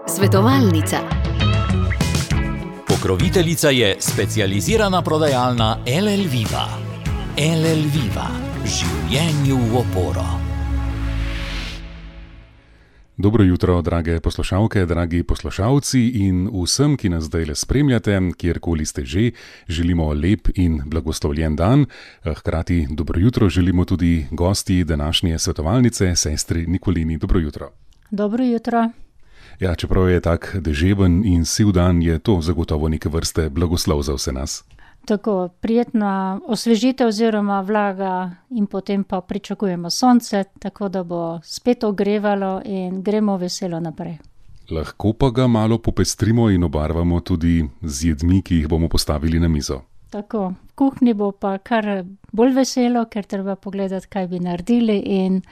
Svetovalnica. Pokroviteljica je specializirana prodajalna LL Viva. LL Viva. Življenju v oporo. Dobro jutro, drage poslušalke, dragi poslušalci in vsem, ki nas zdaj le spremljate, kjerkoli ste že, želimo lep in blagoslovljen dan. Hkrati dobro jutro želimo tudi gosti današnje svetovalnice, sestri Nikolini. Dobro jutro. Dobro jutro. Ja, čeprav je tak deževen in siv dan, je to zagotovo neke vrste blagoslov za vse nas. Tako, prijetna osvežitev oziroma vlaga in potem pa pričakujemo sonce, tako da bo spet ogrevalo in gremo veselo naprej. Lahko pa ga malo popestrimo in obarvamo tudi z jedmi, ki jih bomo postavili na mizo. Tako, v kuhinji bo pa kar bolj veselo, ker treba pogledati, kaj bi naredili in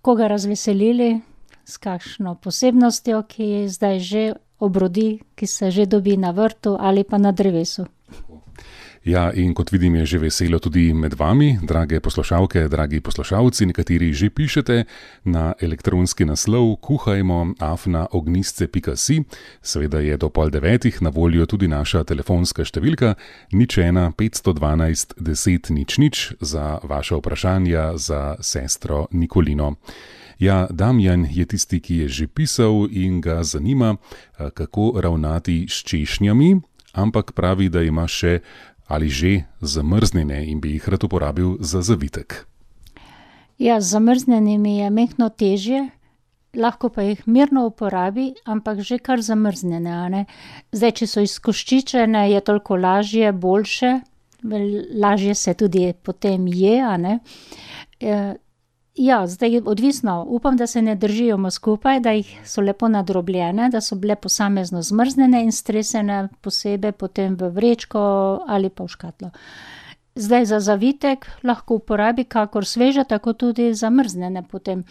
koga razveselili s kakšno posebnostjo, ki zdaj že obrodi, ki se že dobi na vrtu ali pa na drevesu. Ja, in kot vidim, je že veselo tudi med vami, drage poslušalke, dragi poslušalci, nekateri že pišete na elektronski naslov kuhajmo@ognistce.si. Seveda je do 8:30 na voljo tudi naša telefonska številka 01 512 10 00 za vaše vprašanja za sestro Nikolino. Ja, Damjan je tisti, ki je že pisal in ga zanima, kako ravnati s češnjami, ampak pravi, da ima še ali že zamrznjene in bi jih rad uporabil za zavitek. Ja, z zamrznjenimi je mehko težje, lahko pa jih mirno uporabi, ampak že kar zamrznjene, a ne. Zdaj, če so izkoščičene, je toliko lažje, boljše, lažje se tudi potem je, a ne. Ja, zdaj odvisno, upam, da se ne držijo skupaj, da jih so lepo nadrobljene, da so bile posamezno zmrznjene in stresene posebej potem v vrečko ali pa v škatlo. Zdaj za zavitek lahko uporabi kakor sveže, tako tudi zamrznjene potem.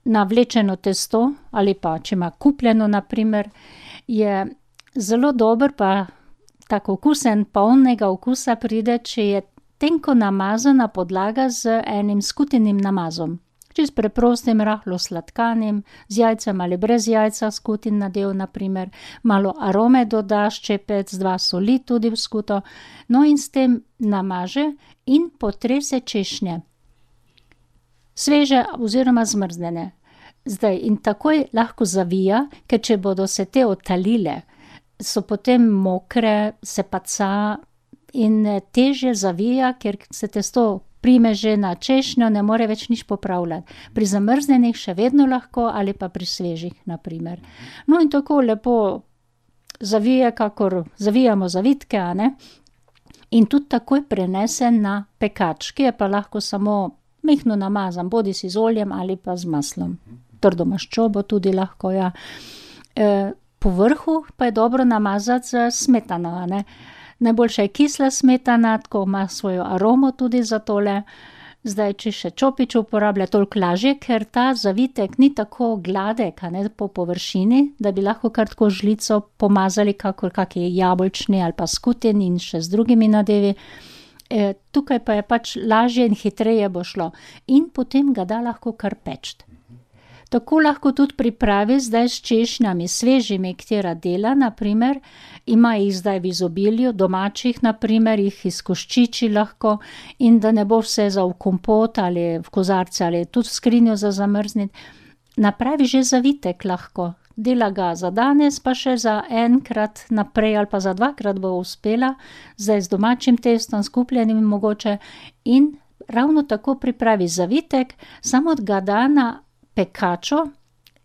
Navlečeno testo ali pa, če ima kupljeno na primer, je zelo dober pa tako okusen, polnega okusa pride, če je tenko namazana podlaga z enim skutenim namazom. Čisto preprostim, rahlo sladkanim, z jajcem ali brez jajca, skutin nadev na primer. Malo arome dodaš, ščepec, 2 soli tudi v skuto. No in s tem namaže in potrese češnje. Sveže oziroma zmrznjene. Zdaj in takoj lahko zavija, ker če bodo se te odtalile, so potem mokre, se paca in težje zavija, ker se testo prime že na češnjo, ne more več nič popravljati. Pri zamrznjenih še vedno lahko ali pa pri svežih, na primer. No in tako lepo zavije, kakor zavijamo zavitke, a ne. In tudi takoj prenese na pekač, ki je pa lahko samo mehko namazan, bodisi z oljem ali pa z maslom. Trdo maščobo tudi lahko, ja. Po vrhu pa je dobro namazati z smetano, a ne. Najboljša je kisla smetana, tako ima svojo aromo tudi za tole. Zdaj, če še čopič uporablja, toliko lažje, ker ta zavitek ni tako gladek, a ne, po površini, da bi lahko kar tako žlico pomazali, kakor kaki jabolčni ali pa skutin in še z drugimi nadevi. Tukaj pa je pač lažje in hitreje bo šlo. In potem ga da lahko kar peči. Tako lahko tudi pripravi zdaj s češnjami, svežimi, katera dela, na primer, ima jih zdaj v izobilju, domačih, na primer, jih izkoščiči lahko in da ne bo vse za v kompot ali v kozarce ali tudi v skrinjo za zamrzniti. Napravi že zavitek lahko, dela ga za danes, pa še za enkrat naprej ali pa za 2-krat bo uspela, zdaj z domačim testom, skupljenim mogoče in ravno tako pripravi zavitek, samo ga da na pekačo,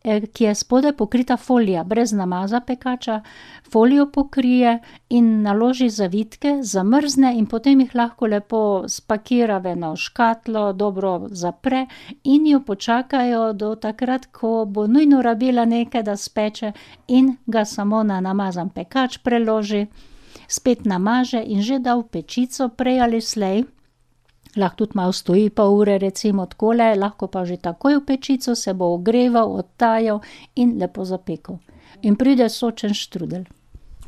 ki je spodaj pokrita folija, brez namaza pekača, folijo pokrije in naloži zavitke, zamrzne in potem jih lahko lepo spakira v eno škatlo, dobro zapre in jo počakajo do takrat, ko bo nujno rabila nekaj, da speče in ga samo na namazan pekač preloži, spet namaže in že da v pečico prej ali slej. Lahko tudi malo stoji pol ure, recimo takole, lahko pa že takoj v pečico se bo ogreval, odtajal in lepo zapekel. In pride sočen štrudelj.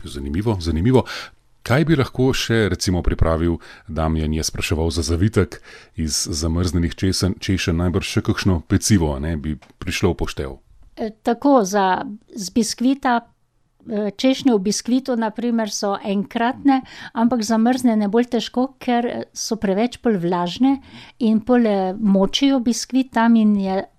Zanimivo, zanimivo. Kaj bi lahko še recimo pripravil? Damjan je spraševal za zavitek iz zamrznenih češenj, najbrž še kakšno pecivo, ne, bi prišlo v poštev. Tako, z biskvita, češnje v biskvitu naprimer so enkratne, ampak zamrznjene bolj težko, ker so preveč bolj vlažne in bolj močijo biskvit tam in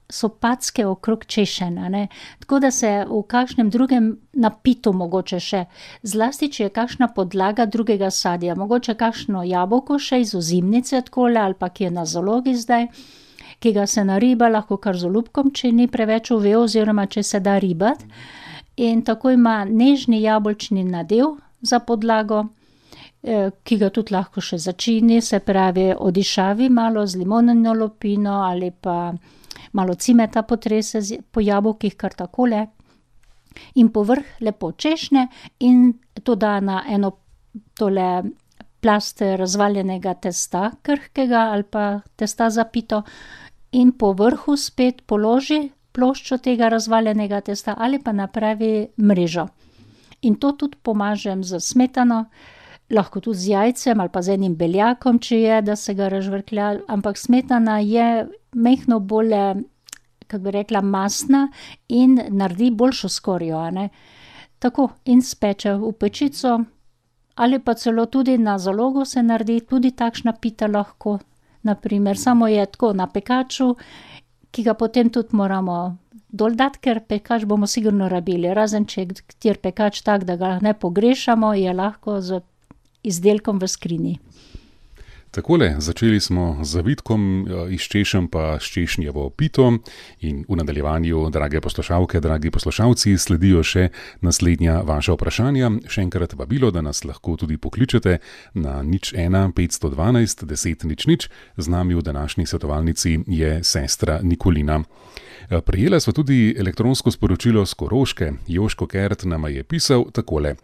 so packe okrog češenj, ne. Tako da se v kakšnem drugem napitu mogoče še, zlasti če je kakšna podlaga drugega sadja, mogoče kakšno jabolko še iz ozimnice takole ali pa ki je na zalogi zdaj, ki ga se nariba lahko kar z olupkom, če ni preveč uvel oziroma če se da ribati. In tako ima nežni jabolčni nadev za podlago, ki ga tudi lahko še začini, se pravi odišavi malo z limonino lupino ali pa malo cimeta potrese po jabolkih kar takole in povrh lepo češnje in to da na eno tole plast razvaljenega testa krhkega ali pa testa za pito in po vrhu spet položi ploščo tega razvaljenega testa ali pa napravi mrežo. In to tudi pomažem z smetano, lahko tudi z jajcem ali pa z enim beljakom, če je, da se ga razžvrklja, ampak smetana je majhno bolj, kako bi rekla, mastna in naredi boljšo skorjo, a ne. Tako, in speče v pečico ali pa celo tudi na zalogo se naredi, tudi takšna pita lahko, naprimer, samo je tako na pekaču, ki ga potem tudi moramo dol dati, ker pekač bomo sigurno rabili, razen če je kateri pekač tak, da ga ne pogrešamo, je lahko z izdelkom v skrinji. Takole, začeli smo z zavitkom iz češenj pa s češnjevo pito in v nadaljevanju, drage poslušalke, dragi poslušalci, sledijo še naslednja vaša vprašanja. Še enkrat vabilo, da nas lahko tudi pokličete na 01 512 10 00. Z nami v današnji svetovalnici je sestra Nikolina. Prejela sva tudi elektronsko sporočilo s Koroške. Joško Kert nama je pisal takole.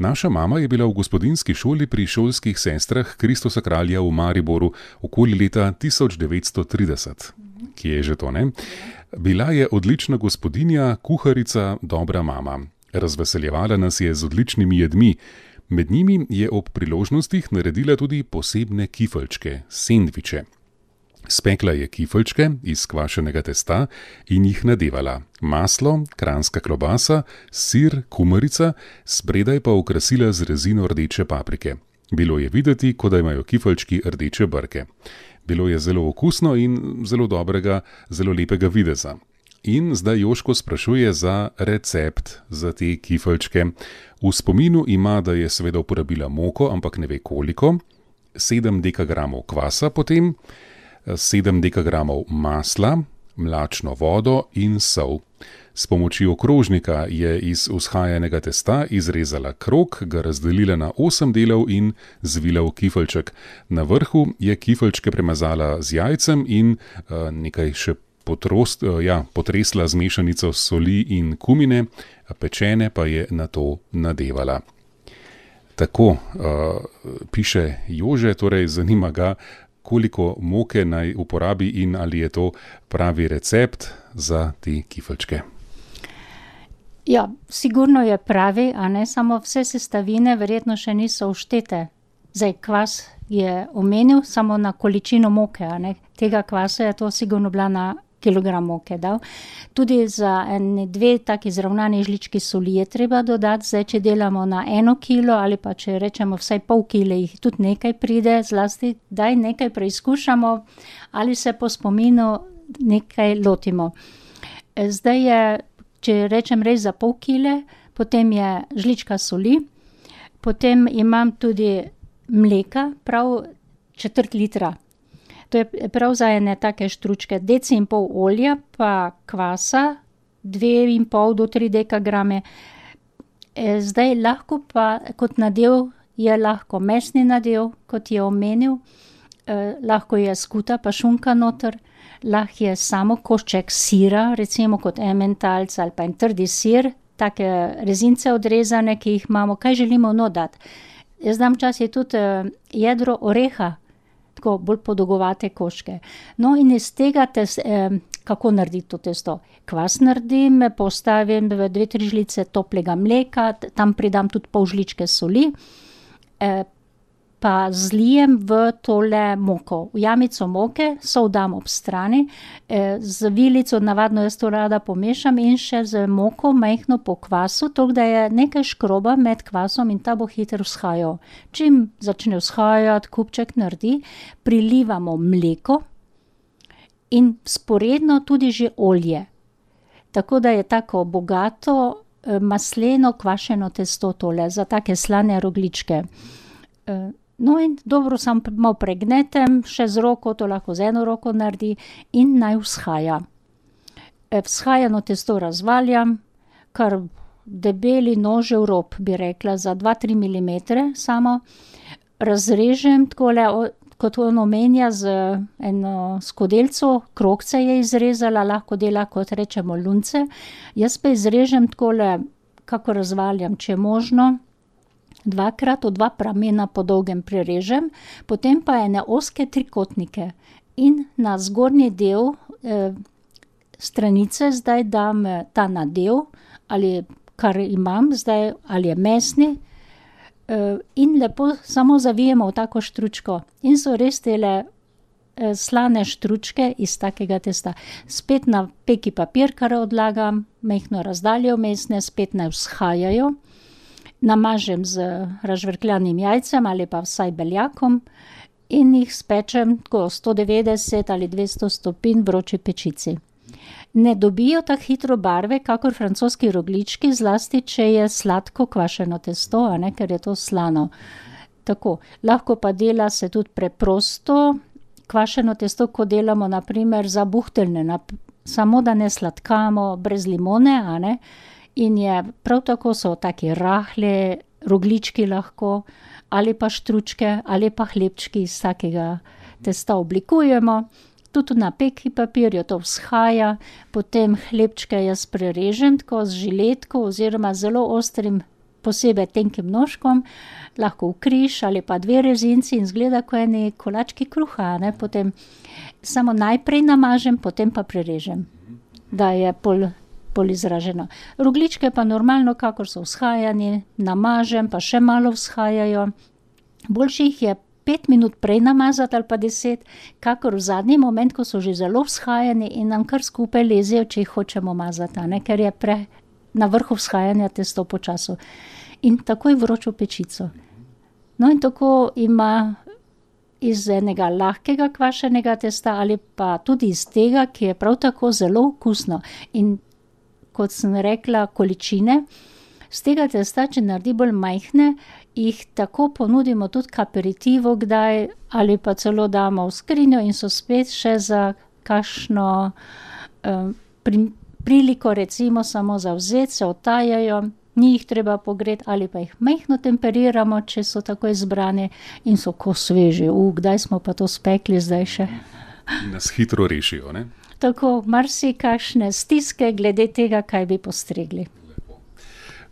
Naša mama je bila v gospodinjski šoli pri šolskih sestrah Kristusa kralja v Mariboru okoli leta 1930. Kje je že to, ne? Bila je odlična gospodinja, kuharica, dobra mama. Razveseljevala nas je z odličnimi jedmi. Med njimi je ob priložnostih naredila tudi posebne kifelčke, sendviče. Spekla je kifelčke iz kvašenega testa in jih nadevala. Maslo, kranjska klobasa, sir, kumarica, spredaj pa okrasila z rezino rdeče paprike. Bilo je videti, kot da imajo kifelčki rdeče brke. Bilo je zelo okusno in zelo dobrega, zelo lepega videza. In zdaj Joško sprašuje za recept za te kifelčke. V spominu ima, da je seveda uporabila moko, ampak ne ve koliko, 7 dekagramov kvasa potem, 7 dekagramov masla, mlačno vodo in sol. S pomočjo krožnika je iz vzhajanega testa izrezala krog, ga razdelila na 8 delov in zvila v kifelček. Na vrhu je kifelčke premazala z jajcem in nekaj še potresla z mešanico soli in kumine, pečene pa je nato nadevala. Tako piše Jože, torej zanima ga, koliko moke naj uporabi in ali je to pravi recept za te kifelčke. Ja, sigurno je pravi, a ne, samo vse sestavine verjetno še niso vštete. Zdaj, kvas je omenil samo na količino moke, a ne. Tega kvasa je to sigurno bila na kilogram moke dal. Tudi za 2 taki zravnani žlički soli je treba dodati, zdaj, če delamo na 1 kilo ali pa če rečemo vsaj pol kile, jih tudi nekaj pride, zlasti daj nekaj preizkušamo ali se po spominu nekaj lotimo. Zdaj je, če rečem res za pol kile, potem je žlička soli, potem imam tudi mleka, prav 1/4 litra. To je prav za ene take štručke, 1,5 deci olja, pa kvasa, 2,5 do 3 dekagrame. Zdaj lahko pa kot nadev je lahko mesni nadev, kot je omenil, lahko je skuta pa šunka noter, lahko je samo košček sira, recimo kot ementalc ali pa en trdi sir, take rezince odrezane, ki jih imamo, kaj želimo dati. Jaz dam včasih tudi jedro oreha, tako bolj podolgovate koščke. No, in iz tega kako narediti to testo? Kvas naredim, postavim v 2-3 žlice toplega mleka, tam pridam tudi pol žličke soli pa zlijem v tole moko. V jamico moke, sol dam ob strani, z vilico navadno jaz to rada pomešam in še z moko majhno po kvasu, tako da je nekaj škroba med kvasom in ta bo hitro vzhajal. Čim začne vzhajati, kupček naredi, prilivamo mleko in sporedno tudi že olje. Tako da je tako bogato, masleno kvašeno testo tole, za take slane rogljičke. No in dobro samo malo pregnetem, še z roko, to lahko z eno roko naredi in naj vzhaja. Vzhajano testo razvaljam, kar debeli nožev rob, bi rekla, za 2-3 milimetre samo. Razrežem takole, kot on omenja, z eno skodelco, krogce je izrezala, lahko dela, kot rečemo, lunce. Jaz pa izrežem takole, kako razvaljam, če je možno, 2x v 2 pramena po dolgem prerežem, potem pa ene ozke trikotnike in na zgornji del stranice zdaj dam ta nadev, ali kar imam zdaj, ali je mesni, in lepo samo zavijemo v tako štručko. In so res tele slane štručke iz takega testa. Spet na peki papir, kar odlagam, majhno razdaljo vmesne, spet naj vzhajajo. Namažem z razžvrkljanim jajcem ali pa vsaj beljakom in jih spečem tako 190 ali 200 stopinj vroči pečici. Ne dobijo tako hitro barve, kakor francoski rogljički, zlasti, če je sladko kvašeno testo, a ne, ker je to slano. Tako, lahko pa dela se tudi preprosto kvašeno testo, ko delamo na primer za buhteljne, samo da ne sladkamo, brez limone, a ne. In je prav tako so taki rahli rogljički lahko, ali pa štručke, ali pa hlebčki iz takega testa oblikujemo. Tudi na peki papirju to vzhaja, potem hlebčke jaz prerežem tako z žiletko oziroma zelo ostrim, posebej tenkim nožkom, lahko v križ ali pa 2 rezinci in izgleda kot eni kolački kruha, ne, potem samo najprej namažem, potem pa prerežem, da je pol izraženo. Rogljičke pa normalno, kakor so vzhajani, namažem, pa še malo vzhajajo. Boljše jih je 5 minut prej namazati ali pa 10, kakor v zadnji moment, ko so že zelo vzhajani in nam kar skupaj lezejo, če jih hočemo mazati, ne, ker je na vrhu vzhajanja testo počasu. In takoj vročo pečico. No in tako ima iz enega lahkega kvašenega testa ali pa tudi iz tega, ki je prav tako zelo okusno. In kot sem rekla, količine, z tega testa, če naredi bolj majhne, jih tako ponudimo tudi k aperitivu kdaj, ali pa celo damo v skrinjo in so spet še za kakšno priliko, recimo samo za vzeti, se otajajo, ni jih treba pogreti, ali pa jih majhno temperiramo, če so tako izbrani in so ko sveži. Kdaj smo pa to spekli zdaj še? Nas hitro rešijo, ne? Tako, marsikakšne stiske glede tega, kaj bi postregli.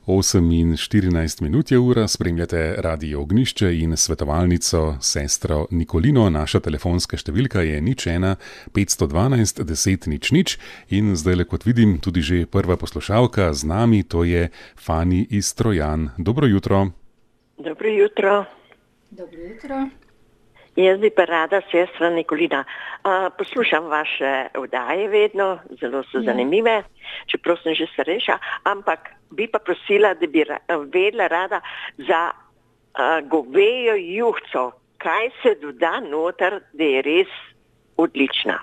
8:14 je ura, spremljate Radio Ognjišče in svetovalnico sestro Nikolino. Naša telefonska številka je 01 512 10 00 in zdajle, kot vidim, tudi že prva poslušalka z nami, to je Fani iz Trojan. Dobro jutro. Dobro jutro. Dobro jutro. Jaz bi pa rada, sestra Nikolina, poslušam vaše oddaje vedno, zelo so zanimive, čeprav sem že starejša, ampak bi pa prosila, da bi vedela rada za govejo juhco, kaj se doda noter, da je res odlična.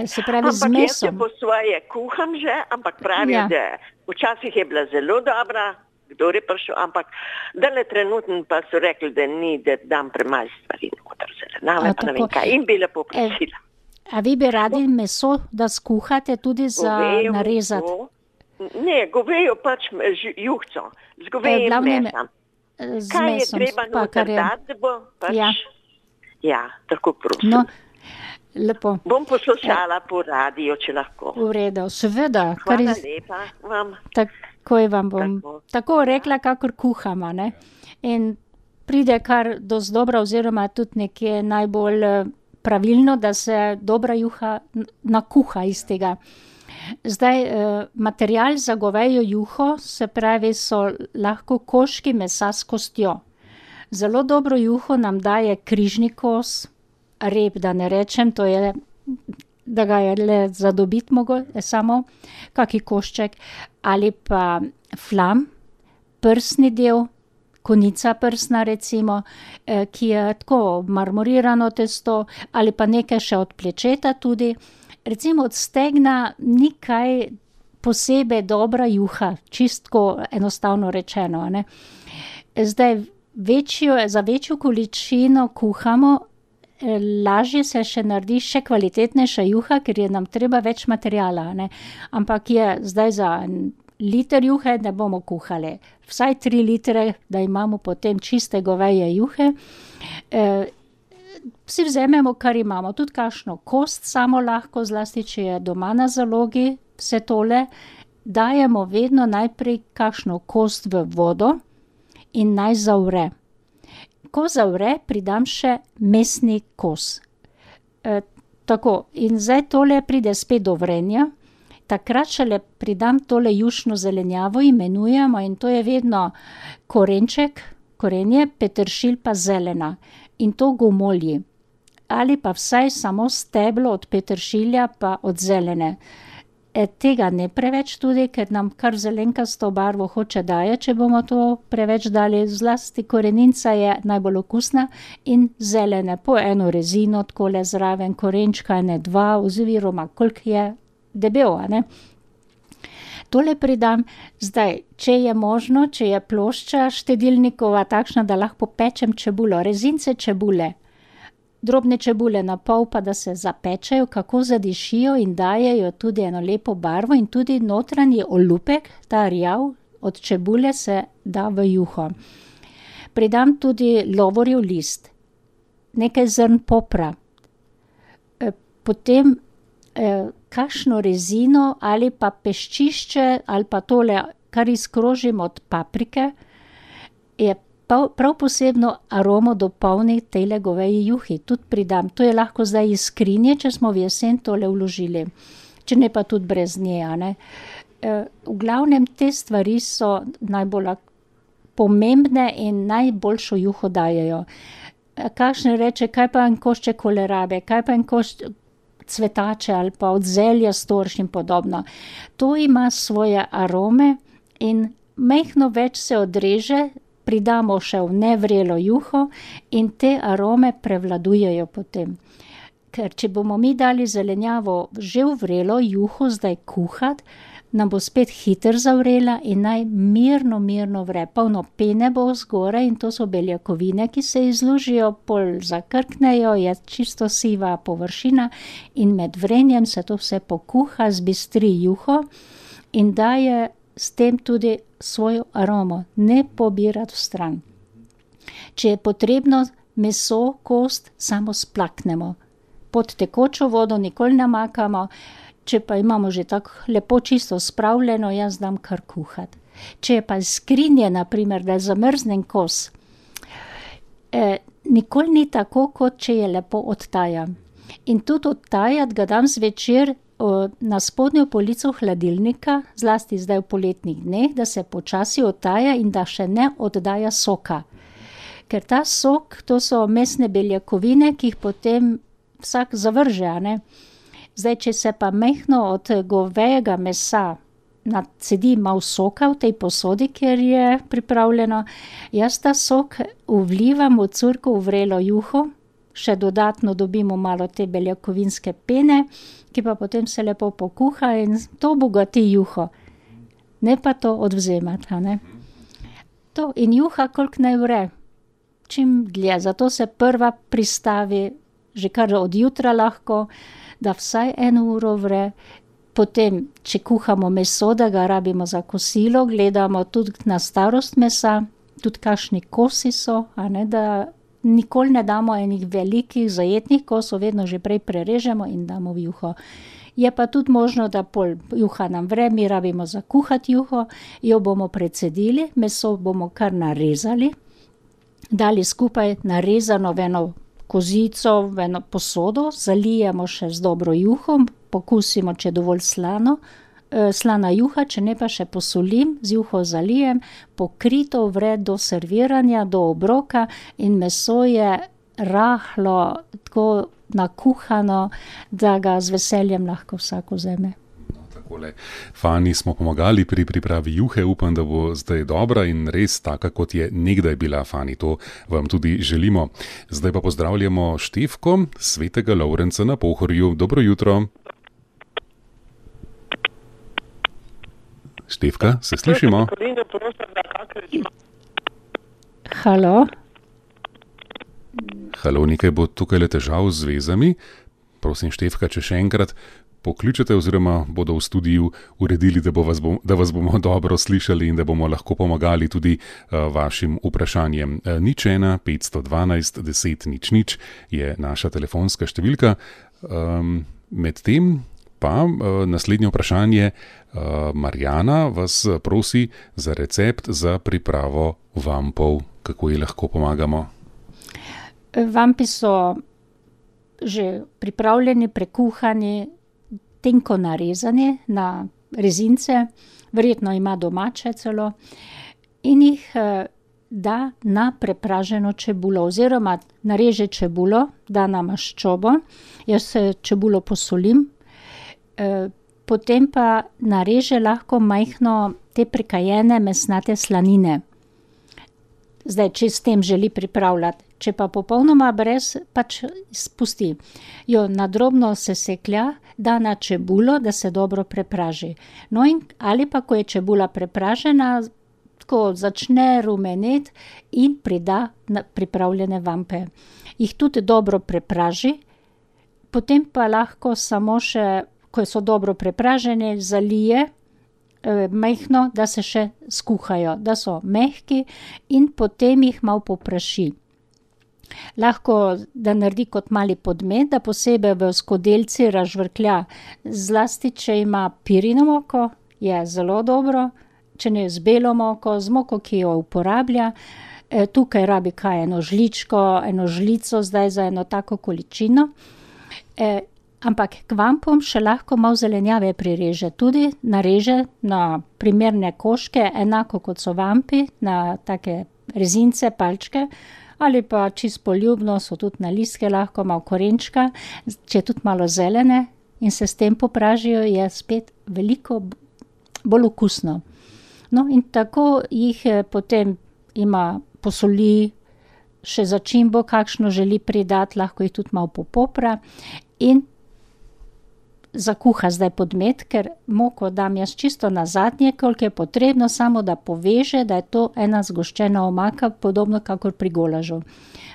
Se pravi z mesom? Ampak jaz jo po svoje kuham že, ampak pravijo, da včasih je bila zelo dobra, kdo je prišel, ampak dale trenutno pa so rekli, da ni, da dam premalo stvari noter, zelenjave, pa ne vem kaj, in bi lepo prosila. A vi bi radi meso, da skuhate tudi za narezati? Ne, govejo pač juhco, z govejim mesom. Kaj je treba noter dati, da bo pač... Ja, tako prosim. No, lepo. Bom poslušala po radiju, če lahko. V redu, seveda. Hvala lepa vam. Takoj vam bom tako rekla, kakor kuhamo, ne. In pride kar dosti dobra oziroma tudi nekje najbolj pravilno, da se dobra juha nakuha iz tega. Zdaj, material za govejo juho, se pravi, so lahko koščki mesa s kostjo. Zelo dobro juho nam daje križni kos, rep, da ne rečem, to je, da ga je le zadobiti samo, kaki košček, ali pa flam, prsni del, konica prsna recimo, ki je tako marmorirano testo, ali pa nekaj še od plečeta tudi. Recimo od stegna ni kaj posebej dobra juha, čistko enostavno rečeno, ne. Zdaj, za večjo količino kuhamo, lažje se še naredi še kvalitetnejša juha, ker je nam treba več materiala, ne. Ampak je zdaj za liter juhe ne bomo kuhali. Vsaj 3 litre, da imamo potem čiste goveje juhe. Vsi vzememo, kar imamo, tudi kakšno kost samo lahko, zlasti, če je doma na zalogi, vse tole. Dajemo vedno najprej kakšno kost v vodo in naj zavre. Ko zavre, pridam še mesni kos. Tako, in zdaj tole pride spet do vrenja, takrat šele pridam tole jušno zelenjavo, imenujemo, in to je vedno korenček, korenje, peteršilj pa zelena. In to gomolji. Ali pa vsaj samo steblo od peteršilja pa od zelene. Tega ne preveč tudi, ker nam kar zelenkasto barvo hoče daje, če bomo to preveč dali. Zlasti korenica je najbolj okusna in zelene. Po eno rezino takole zraven, korenčka, 2, oziroma koliko je debel, ne. Tole pridam, zdaj, če je možno, če je plošča štedilnikova takšna, da lahko pečem čebulo, rezince čebule, drobne čebule na pol, pa da se zapečejo, kako zadišijo in dajejo tudi eno lepo barvo, in tudi notranji olupek, ta rjav od čebule, se da v juho. Pridam tudi lovorjev list, nekaj zrn popra, potem kakšno rezino ali pa peščišče ali pa tole, kar izkrožim od paprike, je prav posebno aromo dopolni tejle goveji juhi. Tudi pridam, to je lahko zdaj iz skrinje, če smo v jesen tole vložili, če ne pa tudi brez nje, a ne. V glavnem te stvari so najbolj pomembne in najboljšo juho dajejo. Kakšne reče, kaj pa en košček kolerabe, kaj pa en košček cvetače ali pa od zelja storš in podobno. To ima svoje arome in majhno več se odreže, pridamo še v nevrelo juho in te arome prevladujejo potem. Ker če bomo mi dali zelenjavo že v vrelo juho zdaj kuhati, nam bo spet hitro zavrela in naj mirno vre. Polno pene bo zgoraj in to so beljakovine, ki se izlužijo, pol zakrknejo, je čisto siva površina in med vrenjem se to vse pokuha, zbistri juho in daje s tem tudi svojo aromo, ne pobirati vstran. Če je potrebno meso, kost, samo splaknemo. Pod tekočo vodo nikoli ne makamo. Če pa imamo že tako lepo čisto spravljeno, jaz dam kar kuhati. Če je pa skrinje, na primer, da zamrznem kos, nikoli ni tako, kot če je lepo odtajan. In tudi odtajati ga dam zvečer na spodnjo polico hladilnika, zlasti zdaj v poletnih dneh, da se počasi odtaja in da še ne oddaja soka. Ker ta sok, to so mesne beljakovine, ki jih potem vsak zavrže, a ne. Zdaj, če se pa majhno od govejega mesa nacedi malo soka v tej posodi, kjer je pripravljeno, jaz ta sok vlivam v curko v vrelo juho, še dodatno dobimo malo te beljakovinske pene, ki pa potem se lepo pokuha in to bogati juho. Ne pa to odvzemati, a ne. To in juha, koliko naj vre, čim dlje, zato se prva pristavi že kar od jutra lahko, da vsaj 1 uro vre, potem, če kuhamo meso, da ga rabimo za kosilo, gledamo tudi na starost mesa, tudi kakšni kosi so, a ne, da nikoli ne damo enih velikih zajetnih kosov, vedno že prej prerežemo in damo v juho. Je pa tudi možno, da pol juha nam vre, mi rabimo za kuhati juho, jo bomo precedili, meso bomo kar narezali, dali skupaj narezano v eno kozico v eno posodo, zalijemo še z dobro juho, pokusimo, če je dovolj slana juha, če ne pa še posolim, z juho zalijem, pokrito vre do serviranja, do obroka in meso je rahlo, tako nakuhano, da ga z veseljem lahko vsak vzame. Fani smo pomagali pri pripravi juhe, upam, da bo zdaj dobra in res taka, kot je nekdaj bila, Fani, to vam tudi želimo. Zdaj pa pozdravljamo Štefko, svetega Lovrenca na Pohorju. Dobro jutro. Štefka, se slišimo? Halo? Halo, nekaj bo tukaj le težav z vezami. Prosim, Štefka, če še enkrat pokličete oziroma bodo v studiu uredili, da vas bomo dobro slišali in da bomo lahko pomagali tudi vašim vprašanjem. 01 512 10 00 je naša telefonska številka. Medtem pa naslednje vprašanje. Marjana vas prosi za recept za pripravo vampov. Kako ji lahko pomagamo? Vampi so že pripravljeni, prekuhani, tenko narezani na rezince, verjetno ima domače celo, in jih da na prepraženo čebulo oziroma nareže čebulo, da na maščobo, jaz čebulo posolim, potem pa nareže lahko majhno te prekajene mesnate slanine. Zdaj, če s tem želi pripravljati, če pa popolnoma brez, pač spusti. Jo na drobno seseklja, da na čebulo, da se dobro prepraži. No in ali pa, ko je čebula prepražena, tako začne rumeneti in prida pripravljene vampe. Jih tudi dobro prepraži, potem pa lahko samo še, ko so dobro prepražene, zalije majhno, da se še skuhajo, da so mehki in potem jih malo popraši. Lahko, da naredi kot mali podmet, da posebej v skodelici razžvrklja. Zlasti, če ima pirino moko, je zelo dobro, če ne z belo moko, z moko, ki jo uporablja. Tukaj rabi kaj, eno žličko, eno žlico, zdaj za eno tako količino. Ampak k vampom še lahko malo zelenjave prireže. Tudi nareže na primerne koške, enako kot so vampi, na take rezince, palčke, ali pa čisto poljubno so tudi na listke lahko, malo korenčka, če tudi malo zelene in se s tem popražijo, je spet veliko bolj okusno. No in tako jih potem ima posoli, še začimbo, kakšno želi pridati, lahko jih tudi malo popopra in zakuha zdaj podmet, ker moko dam jaz čisto na zadnje, koliko je potrebno, samo da poveže, da je to ena zgoščena omaka, podobno kakor pri golažu.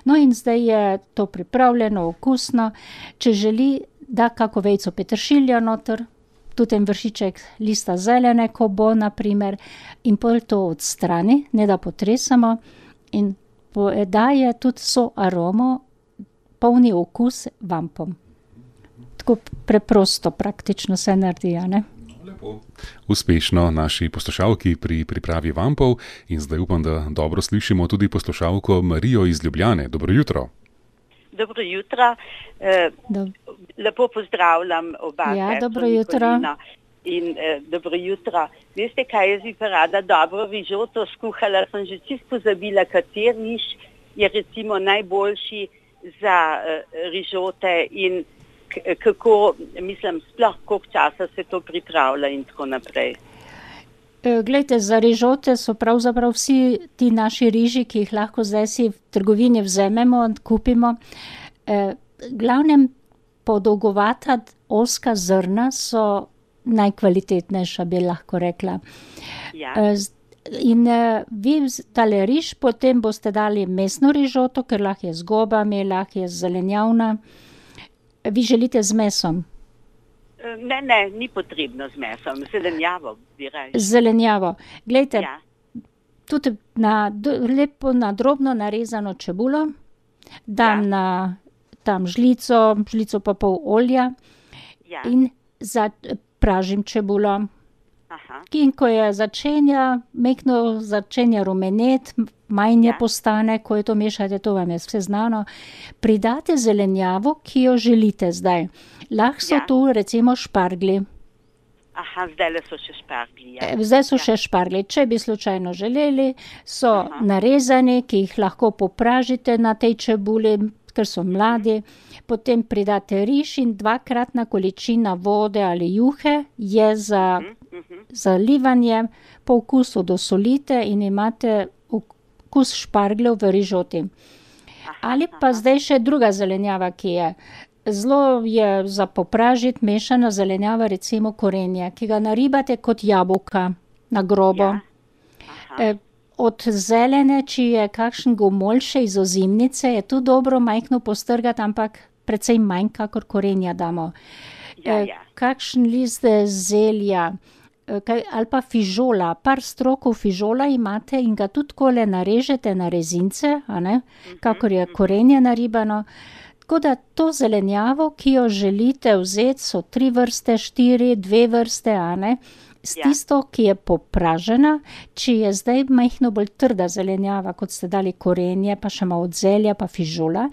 No in zdaj je to pripravljeno, okusno. Če želi, da kako vejico peteršilja noter, tudi en vršiček lista zelene, ko bo, naprimer, in pol to odstrani, ne da potresamo, in daje tudi so aromo, polni okus vampom. Tako preprosto, praktično se naredi, ne? Lepo. Uspešno naši poslušalki pri pripravi vampov in zdaj upam, da dobro slišimo tudi poslušalko Marijo iz Ljubljane. Dobro jutro. Dobro jutro. Lepo pozdravljam oba. Ja, dobro jutro. In dobro jutro. Veste, kaj jaz bi pa rada dobro rižoto skuhala, sem že čisto pozabila, kateri riž je recimo najboljši za rižote in kako, mislim, sploh koliko časa se to pripravlja in tako naprej. Glejte, za rižote so pravzaprav vsi ti naši riži, ki jih lahko zdaj si v trgovini vzememo, kupimo. Glavnem podolgovata ozka zrna so najkvalitetnejša, bi lahko rekla. Ja. In vi tale riž, potem boste dali mesno rižoto, ker lahko je z gobami, lahko je zelenjavna. Vi želite z mesom? Ne, ni potrebno z mesom, zelenjavo bi reči. Zelenjavo. Glejte, Ja. tudi lepo na drobno narezano čebulo, dam na tam žlico pa pol olja Ja. in pražim čebulo. In ko je mehko začenja rumenet, manj postane, ko je to mešate, to vam je vse znano, pridate zelenjavo, ki jo želite zdaj. Lahko so tu recimo šparglji. Zdaj so še šparglji. Zdaj so še šparglji. Če bi slučajno želeli, so narezani, ki jih lahko popražite na tej čebuli, ker so mladi. Potem pridate riž in 2-kratna količina vode ali juhe je za zalivanje, po okusu dosolite in imate okus špargljev v rižoti. Ali pa zdaj še druga zelenjava, ki je. Zelo je za popražiti mešana zelenjava, recimo korenje, ki ga naribate kot jabolka na grobo. Od zelene, če je kakšen gomolj še iz ozimnice, je tu dobro majhno postrgati, ampak precej manj, kakor korenja damo. Kakšen list zelja ali pa fižola, par strokov fižola imate in ga tudi takole narežete na rezince, kakor je korenje naribano. Tako da to zelenjavo, ki jo želite vzeti, so 3 vrste, 4, 2 vrste, s tisto, ki je popražena, če je zdaj majhno bolj trda zelenjava, kot ste dali korenje, pa še malo zelja, pa fižola,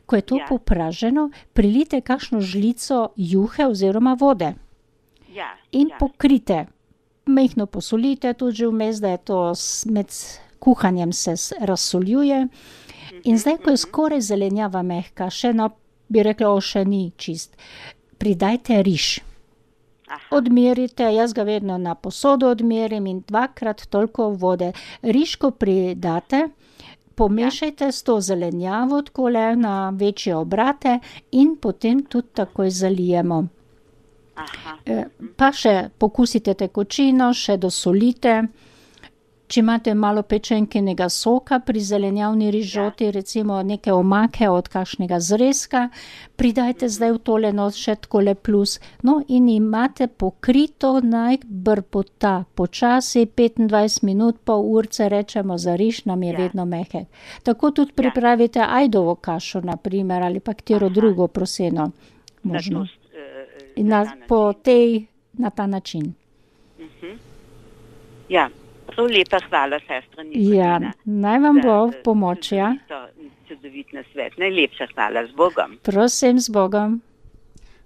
ko je to popraženo, prilite kakšno žlico juhe oziroma vode. In pokrite. Majhno posolite tudi že vmes, da je to med kuhanjem se razsoljuje. In zdaj, ko je skoraj zelenjava mehka, bi rekla, še ni čist, pridajte riž. Odmerite, jaz ga vedno na posodo odmerim in 2-krat toliko vode. Riž, ko pridate, pomešajte s to zelenjavo takole na večje obrate in potem tudi takoj zalijemo. Pa še pokusite tekočino, še dosolite. Če imate malo pečenkinega soka pri zelenjavni rižoti, recimo neke omake od kakšnega zrezka, pridajte zdaj v tole še takole plus. No, in imate pokrito naj brbota. Počasi 25 minut, pol urce rečemo za riž, nam je vedno mehek. Tako tudi pripravite ajdovo kašo, na primer, ali pa katero drugo proseno. Možno. In na ta način. Prav lepa hvala, sestra Nikolina. Naj vam bo v pomoč, Čudovit nasvet. Najlepša hvala, z Bogom. Prosim, z Bogom.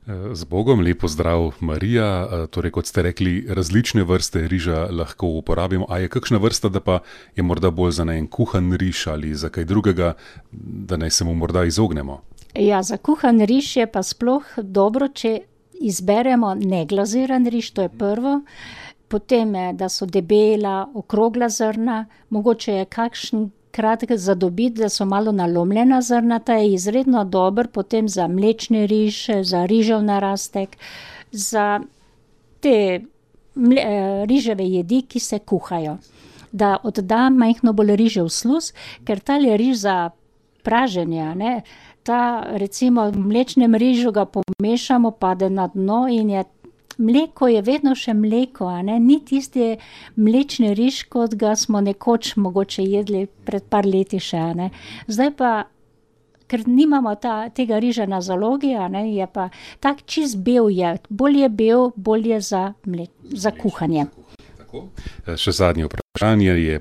Z Bogom, lep pozdrav, Marija. Torej, kot ste rekli, različne vrste riža lahko uporabimo. A je kakšna vrsta, da pa je morda bolj za en kuhan riž ali za kaj drugega, da naj se mu morda izognemo? Za kuhan riž je pa sploh dobro, če izberemo neglaziran riž, to je prvo. Potem, da so debela, okrogla zrna, mogoče je kakšen kratek zadobiti, da so malo nalomljena zrna, ta je izredno dober potem za mlečni riž, za rižev narastek, za te riževe jedi, ki se kuhajo. Da odda majhno bolj rižev sluz, ker tale riž za praženje, ta recimo v mlečnem rižu ga pomešamo, pade na dno in mleko je vedno še mleko, ni tisti mlečni riž, kot ga smo nekoč mogoče jedli pred par leti še, Zdaj pa, ker nimamo tega riža na zalogi, je pa tak čist bel je, bolj je bel, bolj je za kuhanje. Še zadnje vprašanje je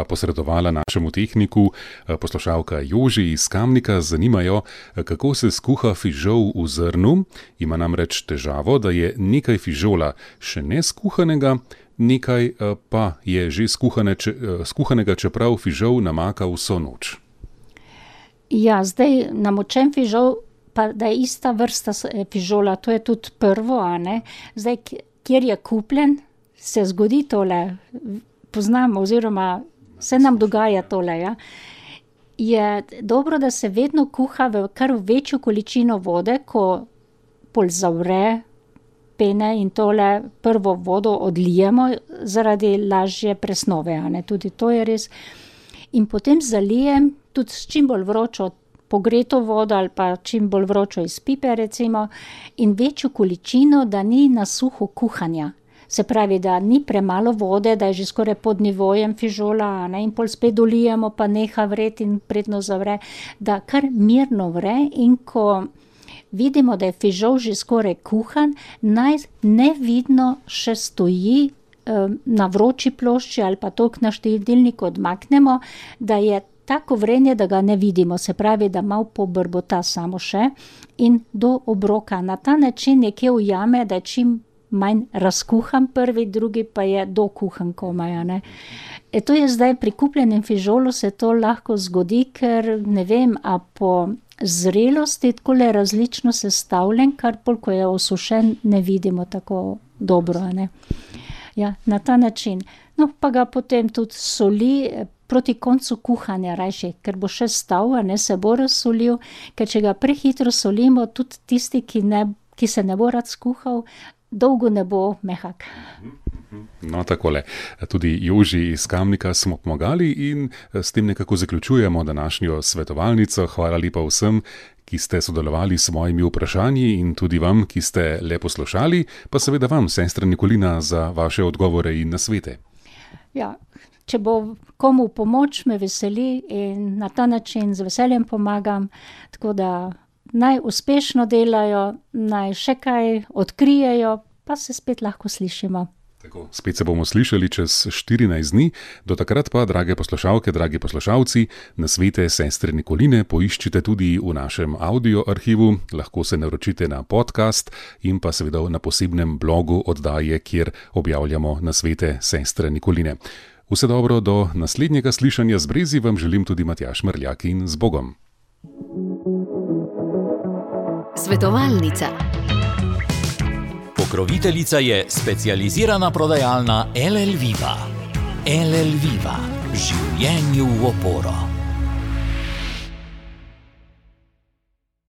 posredovala našemu tehniku poslušalka Joži iz Kamnika. Zanimajo, kako se skuha fižol v zrnu. Ima namreč težavo, da je nekaj fižola še ne skuhanega, nekaj pa je že skuhanega, čeprav fižol namaka vso noč. Zdaj namočen fižol, pa da je ista vrsta fižola, to je tudi prvo, Zdaj, kjer je kupljen, se zgodi tole, poznam oziroma se nam dogaja tole, Je dobro, da se vedno kuha v kar večjo količino vode, ko pol zavre pene in tole prvo vodo odlijemo zaradi lažje presnove, tudi to je res. In potem zalijem tudi s čim bolj vročo pogreto vodo ali pa čim bolj vročo iz pipe recimo in večjo količino, da ni na suho kuhanja. Se pravi, da ni premalo vode, da je že skoraj pod nivojem fižola, in pol spet dolijemo, pa neha vreti in predno zavre, da kar mirno vre in ko vidimo, da je fižol že skoraj kuhan, naj nevidno še stoji na vroči plošči ali pa toliko na štedilniku odmaknemo, da je tako vrenje, da ga ne vidimo, se pravi, da malo pobrbota samo še in do obroka. Na ta način nekje ujame, da je čim manj razkuhan prvi, drugi pa je dokuhan komaj, ne. To je zdaj pri kupljenem fižolu se to lahko zgodi, ker ne vem, a po zrelosti takole različno sestavljen, kar pol, ko je osušen, ne vidimo tako dobro, ne. Ja, na ta način. No, pa ga potem tudi soli proti koncu kuhanja rajši, ker bo še stal, ne, se bo razsolil, ker če ga prehitro solimo, tudi tisti, ki se ne bo rad skuhal, dolgo ne bo mehak. No, takole. Tudi Joži iz Kamnika smo pomagali in s tem nekako zaključujemo današnjo svetovalnico. Hvala lepa vsem, ki ste sodelovali s mojimi vprašanji in tudi vam, ki ste le poslušali, pa seveda vam, sestra Nikolina, za vaše odgovore in nasvete. Ja, če bo komu pomoč, me veseli in na ta način z veseljem pomagam, tako da naj uspešno delajo, naj še kaj odkrijejo, pa se spet lahko slišimo. Tako, spet se bomo slišali čez 14 dni, do takrat pa, drage poslušalke, dragi poslušalci, nasvete sestre Nikoline poiščite tudi v našem audio arhivu, lahko se naročite na podcast in pa seveda na posebnem blogu oddaje, kjer objavljamo nasvete sestre Nikoline. Vse dobro, do naslednjega slišanja z Brezi vam želim tudi Matjaž Mrljak in z Bogom. Svetovalnica. Pokroviteljica je specializirana prodajalna LL Viva. LL Viva. Življenju v oporo.